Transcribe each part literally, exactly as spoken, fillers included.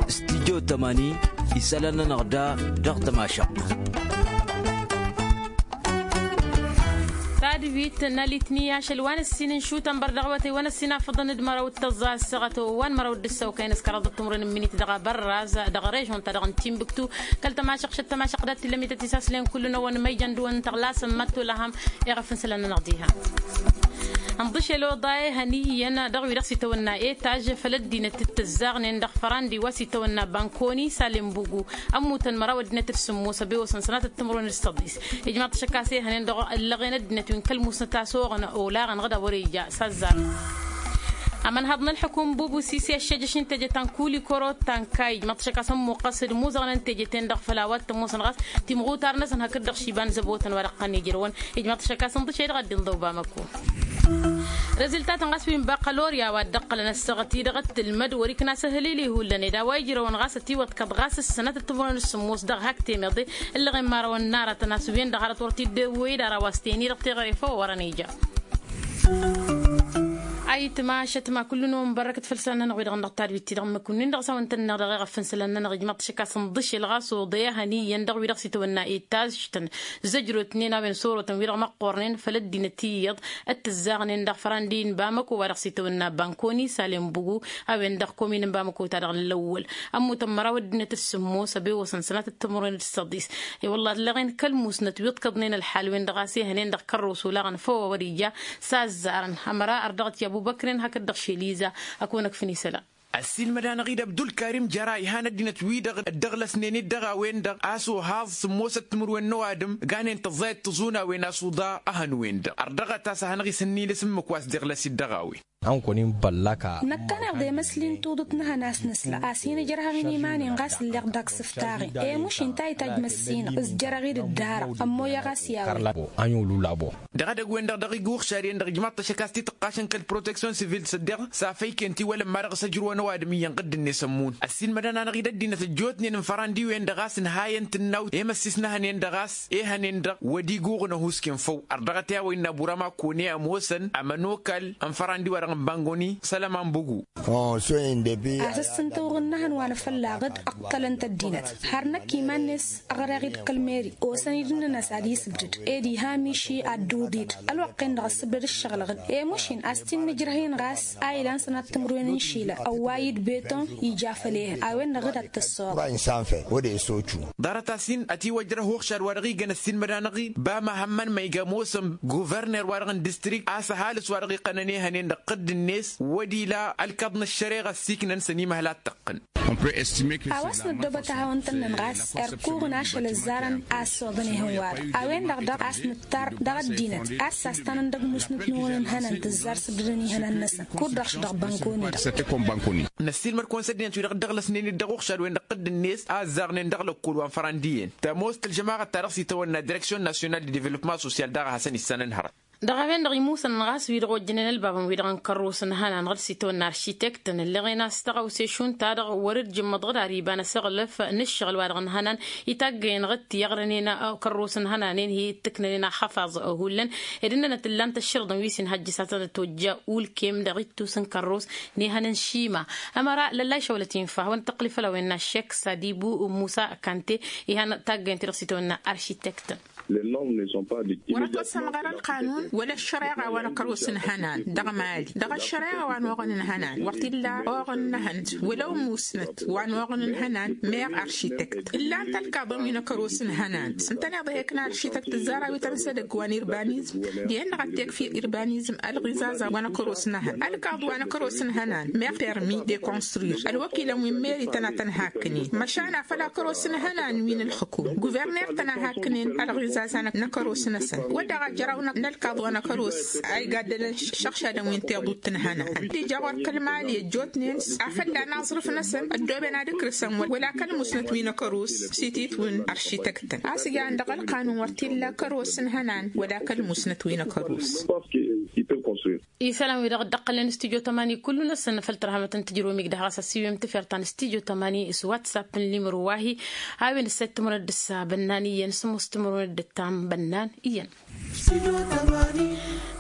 Studyo tămani isălan-nănăɣ da dăɣ-tămašăɣt. Tadbit n-alitni ašăl wa n-ǝssin n-šutăn bărdăɣ wătăy wa n-ǝssin afǝḍăn d-măraw d-tăẓẓa ăssaɣăt wa n-măraw d-ǝssăw kăyăn s-kăraḍăt timǝrwen n-minit dăɣ-abărraz dăɣ-režon-ta-dăɣ n-timbuktu. Kăl-tămašăɣšăt tămašăɣ dat-tillămit ătisaslen kull-năwăn ma ijăn dăɣ-wăn tăɣlasăn mătto lăhăm. Iɣăf n-isălan-nănăɣ diha. Ănḍǝšel oḍa ehăn iyyăn dăɣ-wi-dăɣ s-itawănna etaž făll-ăddinăt t-tǝzzaɣnen dăɣ-fărandi wa s-itawănna bankoni salenbugu. Ămmutăn măraw ăddinăt d-sǝmmos ăbewăsăn sănatăt timǝrwen d-săḍis. Ijmaḍ-t ašăk a-s ehănen dăɣ-ăllăɣen ăddinăt wi n-kăl-musnăt a-s oɣăn olaɣăn ɣǝd a wăr-ija s-azzar. Amănhăḍ n-ălḥukum bubu sisi ăššejăš n-teje ta n-kuli koro ta n-kayij măṭṭăšăk a-s ămmuqqăs d-imuzăɣnen teje-ten-dăɣ făll-a-wa t-ămoosăn ɣas timɣutar-năsăn hakd-dăɣ šiba n-zăbotăn wa dăɣ-tăn-ijrăwăn. Ijmaḍ-t ašăk a-s ǝnḍǝšăy dăɣ-ăddin ḍăw bamăko. Reziltatăn ɣas wi n-baqălorya wa dd-ăqqălăn ăssaɣăt-i-dăɣ ăttǝlmăd wăr-ikna s-ehălil ihullan ed a-wa ijrăwăn ɣas ătiwăḍkăḍ ɣas s-sănatăt timǝrwen s-sǝmmos dăɣ-hak temeḍe. Ǝllăɣen imărawăn n-aratăn a-s wen-dăɣ hărăt wăr t-dd-ewwey d-ara wa s-teni dăɣ-teɣăre făw wăr-ănija. Ayǝtma ašătma kullu-năwăn bărrăkăt făll-isălan-nănăɣ wi-dăɣ n-dăɣ tadwit-ti-dăɣ n-măkun-win-dăɣ s-a-wen tănneɣ dăɣ-eɣăf n-isălan-nănăɣ ijmaḍ-t ašăk a-s ǝnḍǝšel ɣas oḍe ehăn iyyăn dăɣ-wi-dăɣ s-itawănna etaž-tăn. Zăjrotnen a-wen s-orotăn wi-dăɣ măqqornen făll-ăddinăt iyyăḍ d-tǝzzaɣnen dăɣ-fărandi n-bamăko wa dăɣ-s itawănna bankoni salenbugu. A-wen-dăɣ komin n-bamăko ta dăɣ-lăwwăl. Ămmutăn măraw ăddinăt d-sǝmmos ăbewăsăn sănatăt timǝrwen d-săḍis. I-wălla ăllăɣen kăl-musnăt wi ǝḍkăḍnen ălḥal-wen-dăɣ a-s ehănen dăɣ-kărros olaɣăn făw a wăr-ija s-azzarăn. Ămăra ărdăɣăt i-abubăkren hakd-dăɣ šeliza. Ăkun ăkfăn isălan. Ăssiilmăd-anăɣ-dd abdulkarim jăra ihan ăddinăt-wi-dăɣ dd-ăɣlăsnen-dd dăɣ-a-wen-dăɣ a-s ohaẓ sǝmmosăt timǝrwen n-ăwadǝm ganen tăẓẓayăt tǝẓunawen a-s uḍa. Ehăn-wen-dăɣ ărdăɣăt a-s ad-hanăɣ-isǝnnilǝs ǝmmǝk wa s-dd-iɣlăs-dd dăɣ-a-wen. Năkkăneḍ emăsli n-tuḍǝt n-ehăn a-s nǝsla a-s hin-ǝjrăhăɣ-in iman-in ɣas ǝlleɣ dăɣ-s ǝftaɣen. Emuš-in ta itajj măssinăɣ s-jărăɣ-dd dd-arăɣ ămmoyăɣ a-s i-a-wen. Ănn-i-ul ulaboɣ. Dăɣ-edăgg-wen-dăɣ dăɣ-iguɣšad-en-dăɣ ijmaḍ-t-ašăk a-s titǝqqašăn kăl-proteksyon sivil s-ăddeɣ s-afăyken tiwălăm ma dăɣ-s ăjrǝwăn ăwadǝm iyyăn ɣǝdd-net ămmun. Ăssiilmădăn-anăɣ-dd ăddinăt ăjjootnen n-fărandi-wen-dăɣ a-s ǝnhayăn tǝnnawt i-măssis n-ehănen-dăɣ a-s ehănen-dăɣ wăr dd-iguɣǝn ăhuusken făw. Ărdăɣăt i-a-wa innă bura ma kone ămoosăn ămănokal n-fărandi-wa-dăɣ n-bangoni sălăman bugu. A-s ǝssǝntăwăɣ ǝnnăhăn wa n-afăllaɣ-dd ǝqqălăn-t ăddinăt har năkk iman-net. Ăɣreɣ-dd kăl-meri osăn-dd-nănăs ad-isǝbdǝd ed iha miši ad-dd-uḍid ălwăqq-en-dăɣ ăssǝbdăd ǝššăɣǝlăɣ-dd. Emuš-in a-s t-innǝjrăh-in ɣas a ilan sănat timǝrwen n-išilan ăwway-dd beton ija făll-ehăn a-wen-dăɣ dd-ad-tăssoḍ. Ḍarăt-as-in ătiwăjrăh uɣšad wa dăɣ-igăn ăssiilmăd-anăɣ-dd ba mahămmăn ma iga ămoosăn guverner-wa-dăɣ n-distrikt a-s ăhalǝs wa dăɣ-iqqănăn ehănen-dăɣ tăqqǝd-net wăr ila ălkaḍ n-ăššăreɣa ăssiiknăn s-ănimăhăl ad-tăqqǝn. A-wa s-năddoobăt ad-hawăn-tăn-năn ɣas erkuɣăn ašăl ăzzarăn a ăssoḍăn ehăn-wa-dăɣ a-wen-dăɣ daɣ a-s nǝttar dăɣ-ăddinăt a-s sas-tanăn dăgg-musnăt-năwăn n-ihănan tǝzzar sǝbdădăn ihănan-năsăn kud-dăɣ s-dăɣ bankoni-dăɣ. Năssiilmăd-kăwăn s-ăddinăt-wi-dăɣ dd-ăɣlăsnen-dd dăɣ-uɣšad-wen-dăɣ tădd-net a ăzzaɣnen dăɣ-lăkkol wa n-fărăndiyen tămoos tălžămaɣăt-ta-dăɣ s-itawănna direksyon nasyonal de developpement sosyal daɣ a hasăn-issanăn hărăt. Dăɣ-a-wen-dăɣ imusăn ɣas wi-dăɣ ojjănen ălbabăn wi-dăɣ n-kărrus n-ihănan ɣǝd s-itawănna aršitekt ǝllăɣen a-s tăɣawse-šund-ta-dăɣ wăr-dd jǝmmăḍ ɣǝd ar iba n-asăɣlăf n-ǝššăɣǝl-wa-dăɣ n-ihănan. Itaggayen ɣǝd tiyyăɣrănen kărrus n-ihănanen hi-ǝttǝknănen axăfaẓ hullan ed ǝnnănăt ǝllan-t ăšširǝḍăn wi s-inhăjjǝs ad-tănăt-ojja ulkem dăɣ-ittus n-kărrus n-ihăn n-šima. Ămăra lăllay šăwlăt infa hawăn-tăqqǝl făll-a-wen n-aššek sadibu musa kante. Ihăn taggayen-ti-dăɣ s-itawănna aršitekt. Wăr-ătwăsămɣăr ălqanun wăla ăššăreɣa wa n-akăros n-ihănan dăɣ-mali dăɣ-ăššăreɣa wa n-oɣăn n-ihănan wăr t-illa oɣăn n-ehăn wăla ămmusnăt wa n-oɣăn n-ihănan meɣ aršitekt ǝllan-t ălkaḍăn wi n-akăros n-ihănan s-ǝntăneḍ ehek n-aršitekt ǝzzar a-wi tăn-sădăgg wa n-irbanizm. Dihen-dăɣ ad-tekf irbanizm ălɣizazan wa n-akăros n-ehăn ălkaḍ wa n-akăros n-ihănan meɣ permi de construir ălwăkilăn wi n-meri tăn-ad-tăn-hakknen măšan afăl akăros n-ihănan wi n-ǝlxǝkum guverner tăn-ad-hakknen ălɣizazan n-akăros-năsăn wăr daɣ a jăraw n-ălkaḍ wa n-akăros a igaddălăn šăɣšadăn wi n-tiḍut n-ihănan ăddija ɣur-kăl-mali ăjjootnen afălla n-aẓrǝf-năsăn ăddooben ad-ǝkrǝsăn wăla kăl-musnăt wi n-akăros s-ititwǝn aršităktăn a-s jan dăɣ-ălqanun wăr t-illa akăros n-ihănan wăla kăl-musnăt wi n-akăros. Isălan-wi-dăɣ dd-ăqqălnen studyo tămani kullu-năsăn făll-tărhamăt n-tijrǝwăm igdăh ɣas ăssiwem tafert ta n-studyo tămani s-whatsapp n-limro wa-hi. A-wen ǝssayăt timǝrwen d-ǝssa bănnan iyyăn s-ămoos timǝrwen d-ǝttam bănnan iyyăn.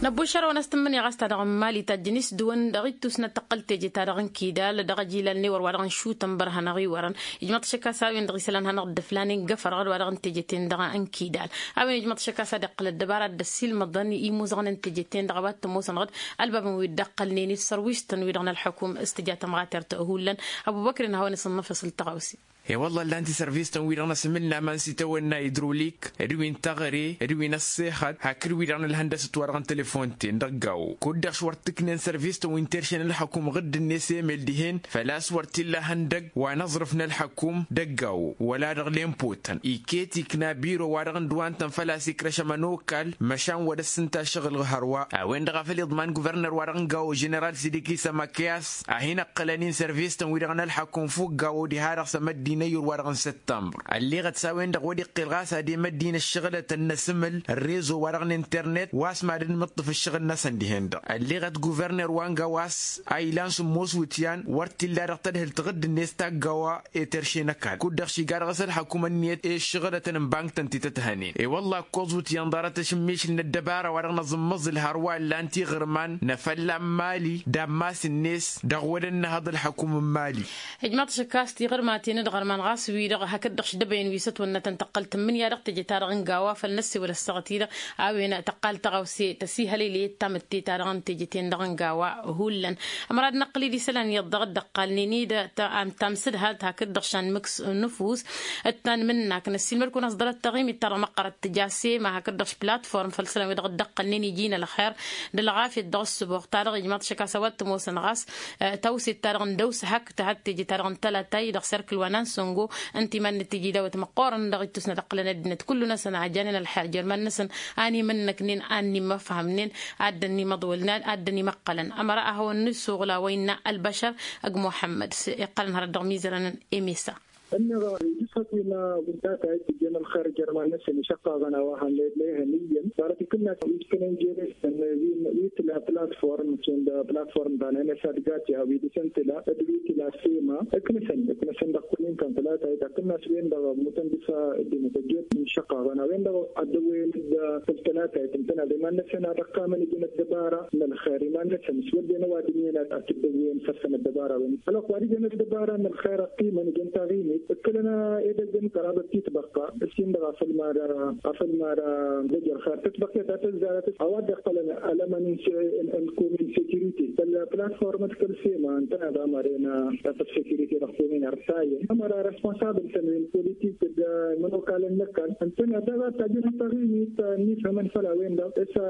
Năbbušărăwăn a-s tǝmmǝnǝya ɣas ta-dăɣ n-mali tajjăn isdǝwăn dăɣ-ittus n-ad-tăqqăl teje-ta-dăɣ n-kidal dăɣ-ajilal n-ewăr wa-dăɣ n-šutăn băr hanăɣ-iwărăn. Ijmăḍ-t ašăk a-s a-wen-dăɣ isălan hanăɣ-dd-ǝflanen găfărăɣ d-wa-dăɣ n-teje-ten-dăɣ n-kidal. A-wen ijmăḍ-t ašăk a-s ad-iqqăl ăddăbara ad-dd-ăssiilmăḍăn i-imuzăɣăn n-teje-ten-dăɣ a-wa t-ămoosănăɣ-dd ălbabăn wi dd-ăqqălnen i-sărwištăn-wi-dăɣ n-ălḥăkum s-tǝja tămɣatert hullan. Ăbubăkri n-hawăn-isǝnnăfăs ǝltăɣawse. E-wălla ǝllan-t isărvistăn-wi-dăɣ n-asǝmǝl n-aman s-itawănna idrulik d-wi n-taɣăre d-wi n-ăṣṣexăt hakd-wi-dăɣ n-ălhăndăsăt wa-dăɣ n-telefon-ten dăgg-awo kud-dăɣ š-wăr t-ǝknen sărvistăn wi n-terše n-ălḥăkum ɣǝdd-net emel dihen făl-a-s wăr t-illa ihăndăgg wa n-aẓrǝf n-ălḥăkum dăgg-awo wăla dăɣ-lempo tăn-iket ikna biro wa-dăɣ n-dăwantăn făl-a-s ikrăš ămănokal măšan wăr dd-sǝnta ašăɣǝl hărwa. A-wen-dăɣ a făl iḍman guvărner wa-dăɣ n-gawo ženeral sidiki sămăkyas a hin-ǝqqǝlăn-in sărvistăn-wi-dăɣ n-ălḥăkum fukk gawo diha-dăɣ s-emăddin ăyyur wa-dăɣ n-săttămbăr. Ălleɣăt s-a-wen-dăɣ wăr-iqqel ɣas ad-emăddin ăššăɣǝlătăn n-asǝmǝl ărrezo wa-dăɣ n-internet wa s-mad-dd mǝṭṭǝf ǝššăɣǝl-năsăn dihen-dăɣ ălleɣăt guvărner wa n-gawo a-s a ilan sǝmmos wǝtyan wăr t-illa dăɣ-tadhǝlt ɣǝdd-net taggawa i-terše n-ăkall kud-dăɣ šiga dăɣ-s ălḥăkum ǝnniyăt i-ǝššăɣǝlătăn n-bank-tăn ti tăt-hănen i-wălla ǝkkoẓ wǝtyan ḍarăt ašǝmmišǝl n-ăddăbara wa-dăɣ n-aẓǝmmăẓǝl hărwa ǝllan tiɣǝrman n-afălla n-mali d-ammas-net dăɣ-wăla ǝnnăhăḍ ălḥăkum n-mali. Ijmaḍ-t ašăk a-s tiɣǝrmaten d-iɣărman ɣas wi-dăɣ hakd-dăɣ šdăbăyăn wi s-ătwănnătăn tăqqăl tǝmmǝnǝya dăɣ-teje-ta-dăɣ n-gawa făl năssewăl ăssaɣăt-i-dăɣ a-wen tăqqal tăɣawse tăsihălăy lăyăt tamǝtte-ta-dăɣ n-teje-ten-dăɣ n-gawa. Hullan ămăra ad-năqqǝl-dd isălan iyyăḍ dăɣ-dd-ăqqalnen-dd tamsǝdhalt hakd-dăɣ šan mǝks nǝfus d-tanmǝnnak năssiilmăd-kăwăn-as ḍarăt taɣimit-ta-dăɣ măqqărăt tǝja sema hakd-dăɣ platform făll-isălan wi-dăɣ dd-ăqqălnen iji n-ălxer d-ălɣafyăt dăɣ-ăssǝboɣ-ta-dăɣ ijmaḍ-t ašăk a-s a-wa t-ămoosăn ɣas tawset-ta-dăɣ n-dăw-s hak tǝhăt teje-ta-dăɣ n-tălata-i dăɣ-serkǝl wa n-ansăngo ǝnta iman-năt tiji dawăt măqqoorăn dăɣ-ittus n-ad-ǝqqǝlăn ăddinăt kullu-năsăn a janen ălxer jer-iman-năsăn a n-imǝnnăknen a n-imăfhămnen ad-dăn-imăḍwălnen ad-dăn-imăqqălăn. Ămăra ad-hawăn-nǝsuɣǝl a-wa innă ălbăšăr ăgg muḥămmăd s-iqqălăn hărăt dăɣ-imizărăn. Emesa. Ǝnneɣ ijǝsfăt-in wi-data-i tǝjjăn ălxer jer-iman-năsăn išăqqaɣăn a-wa hannăyăt la ihăn iyyăn ḍarăt ikǝnna-t wi s-kănen jere-săn wi tǝla platform šund platform ta n-emesa d-gati a-wi dăɣ-săn tǝla d-wi tǝla sema ǝknăsăn ǝknăsăn dăɣ-kumin-tăn tălata-i ta tǝnna s-wen-dăɣ ămmutăn dăɣ-s ăddinăt ăjjootnen išăqqaɣăn a-wen-dăɣ ăddăwăyăn-dd făll-tălata-i tǝntăna d-iman-năsăn ad-ăqqămăn ăddinăt ăddăbara n-ălxer iman-năsăn s-wădden ăwadǝm-en ad-tǝddăwwen săr-săn ăddăbara-wen ălwăqq wa d-ijăn ăddăbara n-ălxer ăqqimăn ijăn taɣimit ǝkkǝlăn edăgg n-kăraḍăt titbăqqa ǝssin-dăɣ afăl mad-afăl mad-zăjj ălxer titbăqqet a tăzzarăt a-wa dd-iqqălăn ălămăn n-kumin sekirite făll-platformăt kăl-sema ǝntăneḍ amăren făll-sekirite dăɣ-kumin ărtayăn ămăra responsabǝl-tăn wi n-politik d-imănokalăn n-ăkall ǝntăneḍ daɣ ad-tajjăn taɣimit n-ifhămăn făll-a-wen-dăɣ s-a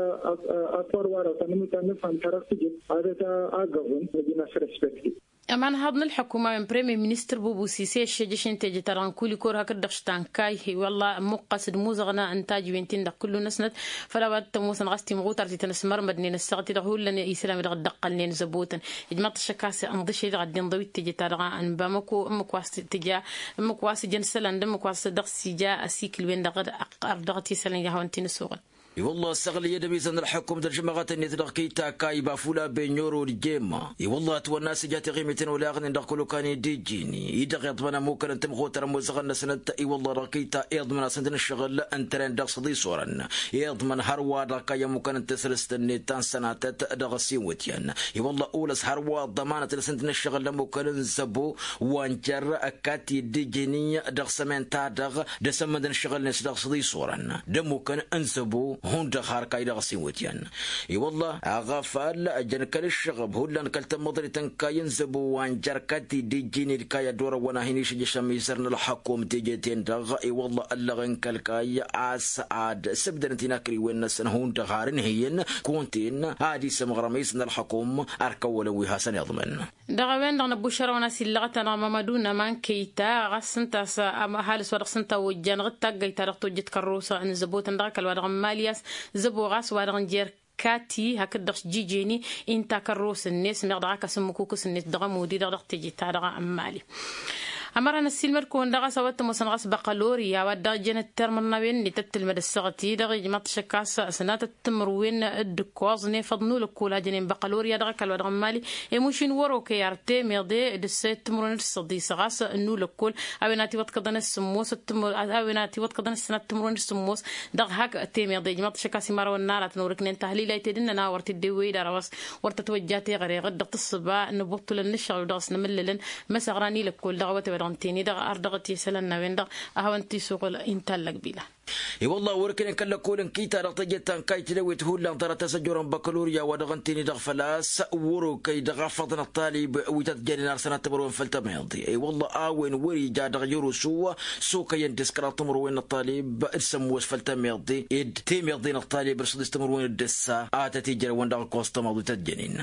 afăr wa-dăɣ ta n-ămut ad-nǝfhăm ta dăɣ-tijǝt ad-t-agăẓăn nǝjǝn a-s respecte. Ămanhaḍ n-ălḥăkum a-wen premier ministăr bubusise ăššejăš n-teje-ta-dăɣ n-kulikor hakd-dăɣ štankay i-wălla ămmuqqas d-imuzăɣna n-tajǝwen-tin-dăɣ kullu-năsnăt făll-a-wa t-ămoosăn ɣas timɣutar ti tăn-ăsmărmădnen ăssaɣăt-i-dăɣ hullan isălan-wi-dăɣ dd-ăqqălnen zăbotăn. Ijmaḍ-t ašăk a-s ănḍǝšăy-dăɣ ăddin ḍăwit teje-ta-dăɣ n-bamăko ǝmmǝk wa s-tǝja ǝmmǝk wa s-ǝjăn isălan d-ǝmmǝk wa s-dăɣ-s ija ăsikǝl-wen-dăɣ ărdăɣăt isălan i-ad-hawăn-t-in-ăsuɣǝl. I-wălla ăssaɣlăy ad-ămizăn ălḥăkum d-ălžămăɣăt-net dăɣ-kăy-takay bafula benyoro d-jemma i-wălla ătwănna a-s ija tiɣimiten olaɣnen dăɣ-kăl-okănen d-ijjin-i-dăɣ iḍmăn ămukăn n-tamɣutar ămoosăɣăn-năsnăt i-wălla dăɣ-kăy-ta iḍmăn-asăn-t n-ǝššăɣǝl ǝntănen dăɣ-săḍisorăn iḍmăn hărwa dăɣ-kăy ămukăn n-tasrǝst-net ta n-sănatăt dăɣ-ăssin wǝtyan i-wălla olăs hărwa ḍămanăt-năsăn-t n-ǝššăɣǝl ămukăn n-zăbo wa n-jer-ăkkat-i dd-ijǝni dăɣ-sămen-ta-dăɣ d-asămmănd n-ǝššăɣǝl-net dăɣ-săḍisorăn d-ămukăn n-zăbo hundăɣ har kay dăɣ-s iwǝtyan. I-wălla aɣăfal ăjăn kăl-ǝššăɣăb hullan kăl-tămmăḍrit n-kay n-zăbo wa n-jer-ăkkat-i dd-ijǝni d-kay ad-dd-orăwăn a hin-išǝjjăš ămizăr n-ălxăkum teje-ten-dăɣ i-wălla ăllăɣen kăl-kay a-s ad-sǝbdănăt inakrǝywen-năsăn hundăɣ har ǝnhǝyăn kunta-en ad-isǝmɣăr ămizăr n-ălxăkum. Ărkăwălăn wi hasăn-iḍmăn. Dăɣ-a-wen-dăɣ năbbušărăwăn a-s illăɣăt-anăɣ mămădu n-aman kăyta ɣas s-ǝnta a-s ăhalǝs wa dăɣ-s ǝnta a ojjanăɣ d-taggăyt-ta-dăɣ tojjăt kărrosăn n-zăbotăn dăɣ-ăkall wa dăɣ-n mali a-s zăbo ɣas wa dăɣ-n jer kati hakd-dăɣ s-jijeni. Inta kărrosăn-net meɣ dăɣ-ak asǝmmǝkukǝs-net dăɣ-ămudi-dăɣ dăɣ-teje-ta-dăɣ n-mali. Ămăra n-ăssiilmăd-kăwăn dăɣ-a-s a-wa t-ămoosăn ɣas băqălorya wa dăɣ-jăn ăttărmărnawen-net d-tǝlmăd ăssaɣăt-i-dăɣ ijmaḍ-t šăkk a-s sănatăt timǝrwen d-ǝkkoẓ n-efăḍ n-ulăkkol a jănen băqălorya dăɣ-ăkall wa dăɣ-n mali. Emuš-in wăr-okăy ar temeḍe d-ǝssăyăt timǝrwen d-săḍis ɣas n-ulăkkol a-wen a tiwăḍkăḍăn ăssǝmmos. A-wen a tiwăḍkăḍăn ăssănat timǝrwen d-sǝmmos dăɣ-hak temeḍe ijmaḍ-t šăkk a-s imărawăn n-aratăn wăr-ǝknen tahlila ited ǝnnăn a wăr t-dd-ewwey d-arăw a-s wăr tătwăjja teɣăre ɣǝd-dăɣ tǝssǝba n-ibuṭṭulăn n-ǝššăɣǝl dăɣ-s n-amǝllălăn măsăɣra n-ilăkkol dăɣ-awătay wa dăɣ-n teni-dăɣ ar dăɣ-t isălan n-a-wen-dăɣ a hawăn-t-isuɣǝl. Intallăg bila. I-wălla wăr-ǝknen kăl-lăkkol n-kita dăɣ-teje ta n-kayt n-ewet hullan ḍarăt a-s ăjorăn băkălorya wa dăɣ-n teni-dăɣ făl-a-s wăr-okăy dăɣ-afăḍăn ăṭṭalib wi tăt-jănen ar sănat timǝrwen făll-tămeḍe. I-wălla a-wen wăr-ija dăɣ-jărusu s-okăyăn dăɣ-s kăraḍ timǝrwen n-ăṭṭalib d-sămmos făll-tămeḍe d-temeḍe n-ăṭṭalib d-săḍis timǝrwen d-ǝssa a tăt-ijrăwăn dăɣ-ǝkkoẓ tămaḍ wi tăt-jănen.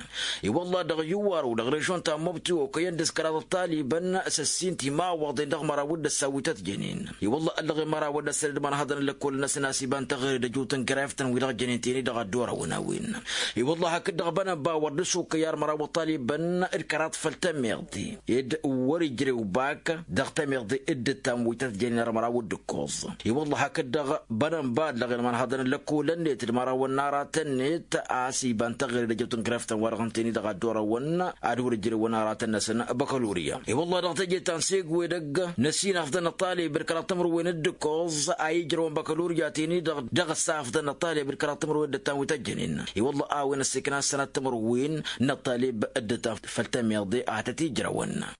I-wălla dăɣ-iwar-u dăɣ-režon ta n-mobti okăyăn dăɣ-s kăraḍ ăṭṭalibăn s-ăssin timawăḍen dăɣ-măraw d-ǝssa wi tăt-jănen. I-wălla ăllăɣen măraw d-ăssănăd mănhăḍăn ăllăkkol-năsăn a-s iba n-tăɣre d-ăjut n-greft-tăn wi dăɣ-jănen teni-dăɣ a dd-orăwăn a-wen. I-wălla hakd-dăɣ bănăn ba wăr dăr-s okăy ar măraw ăṭṭalibăn d-kăraḍ făll-tămeḍe d-wăr-ijrew bak dăɣ-tămeḍe d-ǝttam wi tăt-jănen ar măraw d-ǝkkoẓ. I-wălla hakd-dăɣ bănăn ba ăllăɣen mănhăḍăn ăllăkkolăn-net d-mărawăn n-aratăn-net a-s iba n-tăɣre d-ăjut n-greft-tăn wa dăɣ-n teni-dăɣ a dd-orăwăn ad-wăr-ǝjrewăn aratăn-năsăn băkălorya. I-wălla dăɣ-teje ta n-segwedăgg n-ăssin afḍăn n-ăṭṭalib d-kăraḍ timǝrwen d-ǝkkoẓ a ijrăwăn băkălorya teni-dăɣ dăɣ-ăssa afḍăn n-ăṭṭalib d-kăraḍ timǝrwen d-ǝttam wi tăt-jănen. I-wălla a-wen ăssikna s-sănat timǝrwen n-ăṭṭalib d-ǝttam făll-tămeḍe a tăt-ijrăwăn.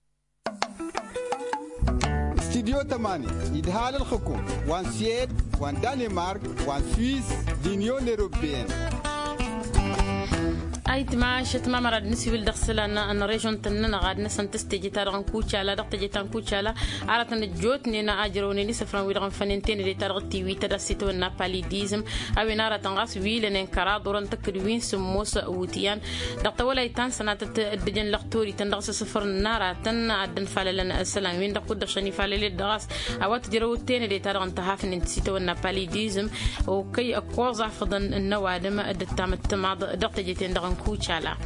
Studyo tămani idhal ǝlxǝkum wa n-swed wa n-danimark wa n-swiss d-unyon europeyăn. Ayǝtma ašăt ma mărad nǝsiwǝl dăɣ-isălan n-režon-tăn-nănăɣ ad-năsăn tǝs teje-ta-dăɣ n-kucala dăɣ-teje-ta n-kucala. Aratăn ăjjootnen a ǝjrăwnen isǝfran-wi-dăɣ n-fănen tenăde-ta-dăɣ tiwităd a-s itawănna palidizm. A-wen aratăn ɣas wi lănen kăraḍ orăn tăkk-dd wi n-sǝmmos wutyan dăɣ-tawălayt ta n-sănatăt dd-ǝjăn lăxtorităn dăɣ-s asǝfăr n-aratăn ad-dd-ănfalălăn isălan-win-dăɣ kud-dăɣ šăn ifalăled dăɣ-a-s a-wa tǝjrăw tenăde-ta-dăɣ n-tăhaf-nin tǝsitawănna palidizm. Okăy ǝkkoẓ afăḍăn n-ăwadǝm dd-ăttam ăttămaḍ dăɣ-teje-ten-dăɣ n-kucala.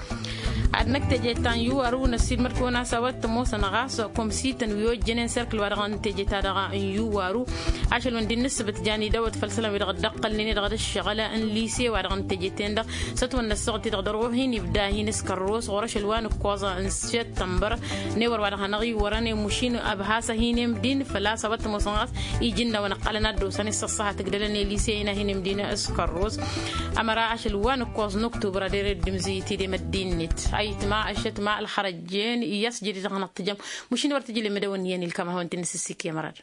Ad-năkk teje ta n-iwaru n-ăssiilmăd-kăwăn a-s a-wa t-ămoosăn ɣas komsităn wi ojjănen serkǝl wa dăɣ-n teje-ta-dăɣ n-iwaru. Ašăl wăn dd-nǝssǝbǝt jan idawăt făll-isălan-wi-dăɣ dd-ăqqălnen i-dăɣ d-ǝššăɣǝl n-lise wa dăɣ-n teje-ten-dăɣ s-ătwănna ăssaɣăt-i-dăɣ dăr-ɣur-hin ibda hin-s kărros ɣur-ašăl wa n-ǝkkoẓ n-săttămbăr. N-ewăr wa dăɣ-hanăɣ-iwărăn i-mušin ăbhasă hin-emdin făl-a-s a-wa t-ămoosăn ɣas iji n-a-wăn ǝqqălăn ad-dd-osăn i-săṣṣăhat ǝgdălăn i-lise-in a hin-emdin s-kărros. Ămăra ašăl wa n-ǝkkoẓ n-oktubăr ad-ere dd-imzǝyǝt idem ăddin-net. Ayǝtma ăššătma ălxărăjjen i-a-s jădid ad-hanăɣ-tǝjăm. Mušin wăr tǝjǝlem ad-ăwăn iyyăn ilkam ad-hawăn-t-in-nǝsǝssik i-amărad.